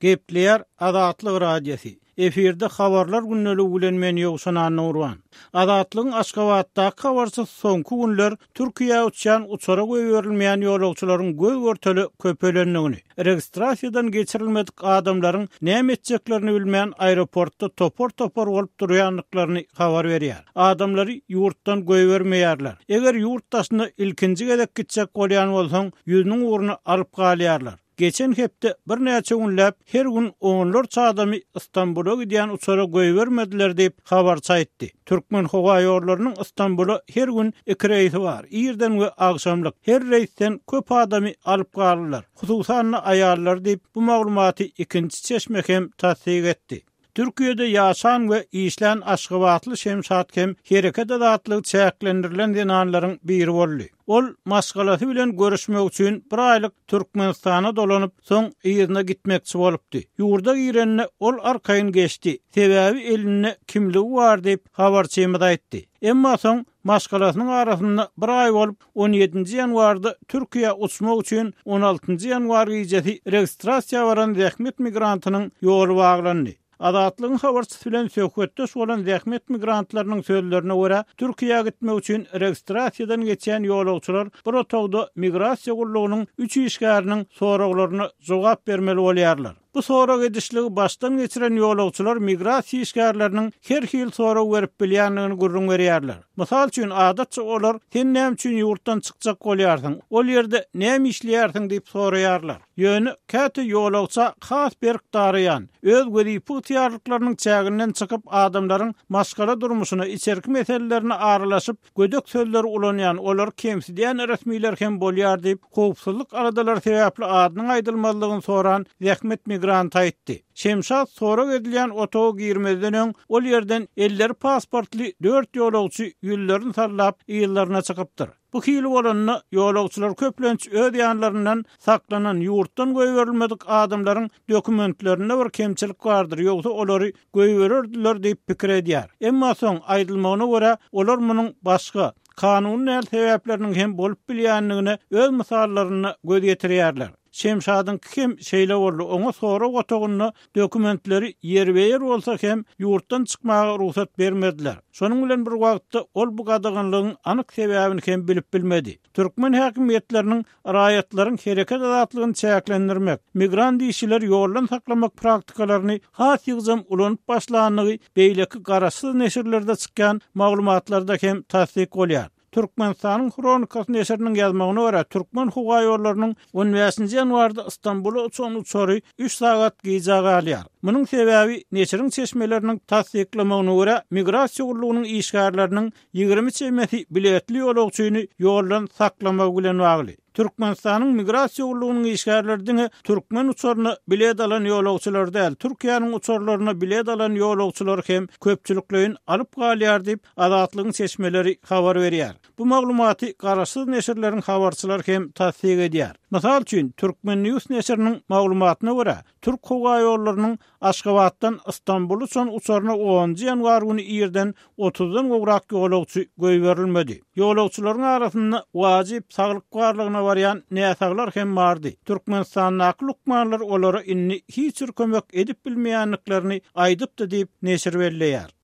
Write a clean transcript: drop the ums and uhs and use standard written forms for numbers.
Gepleýär Azatlyk Radiosy. Efirde Habarlar gündeligi bilen men Ýowşan Annagurban. Azatlygyň Aşgabatdaky habarçysy soňky günler Türkiýä uçýan uçara goýberilmeýän ýolagçylaryň göz-görtele köpelendigini, registrasiýadan geçirilmedik adamlaryň näme etjeklerini bilmän aeroportda topar-topar bolup durýandyklaryny habar berýär. Adamlary ýurtdan goýbermeýärler. Eger ýurt daşyna ilkinji gezek gitjek bolýan bolsaň, ýüzüniň ugruna alyp galýarlar. Geçen hepde birnäçe günläp her gün onlarça adamy Stambula gidýän uçara goýbermediler diýip, habarçy aýtdy. Türkmenhowaýollarynyň Stambula her gün iki reýsi bar, irden we agşamlyk. Her reýsden köp adamy alyp galdylar, hususan-da aýallary diýip, bu maglumaty ikinji çeşme hem tassyk etdi. Türkiýede ýaşan we işlän aşgabatly Şemşat hem hereket azatlygy çäklendirilen zenanlaryň biri boldy. Ol maşgalasy bilen görüşmek üçin bir aýlyk Türkmenistana dolanyp, soň yzyna gitmekçi bolupdy. Ýurda girende ol arkaýyn geçdi, sebäbi elinde kimligi bar diýip, habarçymyz aýtdy. Emma soň maşgalasynyň arasynda bir aý bolup, On ýedinji ýanwarda Türkiýä uçmak üçin on altynjy ýanwar gijesi registrasiýa baran zähmet migrantynyň ýoly baglandy. Azatlygyň habarçysy bilen söhbetdeş bolan zähmet migrantlarynyň sözlerine görä, Türkiýä gitmek üçin registrasiýadan geçýän ýolagçylar bir otagda migrasiýa gullugynyň üç işgäriniň soraglaryna jogap bermeli bolýarlar. Bu sorag edişligi başdan geçiren ýolagçylar migrasiýa işgärleriniň her hili sorag berip bilýändigini gürrüň berýärler. Mysal üçin, adatça olar Sen näme üçin ýurtdan çykjak bolýarsyň? Ol ýerde näme işleýärsiň? diýip soraýarlar. Ýöne käte ýolagça has berk daraýan, öz wezipe ygtyýarlyklarynyň çäginden çykyp adamlaryň maşgala durmuşyna, içerki meselelerine aralaşyp, gödek sözleri ulanýan, olary kemsidýän resmiler hem bolýar diýip, howpsuzlyk aladalary sebäpli adynyň aýdylmazlygyny soran zähmet migranty aýtdy. Şemşat sorag edilýän otaga girmezden öň, ol ýerden elleri pasportly dört ýolagçy ýüzlerini sallap, yzlaryna çykypdyr. Bu hili bolanda, ýolagçylar köplenç öz ýanlaryndan saklanan, ýurtdan goýberilmedik adamlaryň dokumentlerinde bir kemçilik bardyr, ýogsa olary goýbererdiler diýip pikir edýär. Emma soň, aýdylmagyna görä, olar munuň başga, kanuny däl sebäpleriniň hem bolup bilýändigine öz mysallarynda göz ýetirýärler. Şemşadyňky hem şeýle boldy, oňa sorag otagynda dokumentleri ýerbe-ýer bolsa hem ýurtdan çykmaga rugsat bermediler. Şonuň bilen bir wagtda ol bu gadaganlygyň anyk sebäbini hem bilip bilmedi. Türkmen häkimiýetleriniň raýatlaryň hereket azatlygyny çäklendirmek, migrant işçileri ýoldan saklamak praktikalaryny has ýygjam ulanyp başlandygy beýleki garaşsyz neşirlerde çykýan maglumatlarda hem tassyk bolýar. Türkmenistanyň Hronikasy neşiriniň ýazmagyna görä, Türkmenhowaýollarynyň on bäşinji ýanwarda Stambula uçan uçary üç sagat gijä galýar. Munuň sebäbi, neşiriň çeşmeleriniň tassyklamagyna görä, migrasiýa gullugynyň işgärleriniň 20 çemesi biletli ýolagçyny ýoldan saklamagy bilen bagly. Türkmenistanyň Migrasiýa gullugynyň işgärleri diňe türkmen uçaryna bilet alan ýolagçylary däl, Türkiýäniň uçarlaryna bilet alan ýolagçylary hem köpçülikleýin alyp galýar diýip, Azatlygyň çeşmeleri habar berýär. Bu maglumaty garaşsyz neşirleriň habarçylary hem tassyk edýär. Mysal üçin, Turkmen. News neşiriniň maglumatyna görä, Türk howaýollarynyň Aşgabatdan Stambula uçan uçaryna onunjy ýanwar güni irden otuzdan gowrak ýolagçy goýberilmedi. Ýolagçylaryň arasynda wajyp saglyk barlagyna barýan näsaglar hem bardy. Türkmenistandaky lukmanlar olara indi hiç bir kömek edip bilmeýändiklerini aýdypdy diýip, neşir belleýär.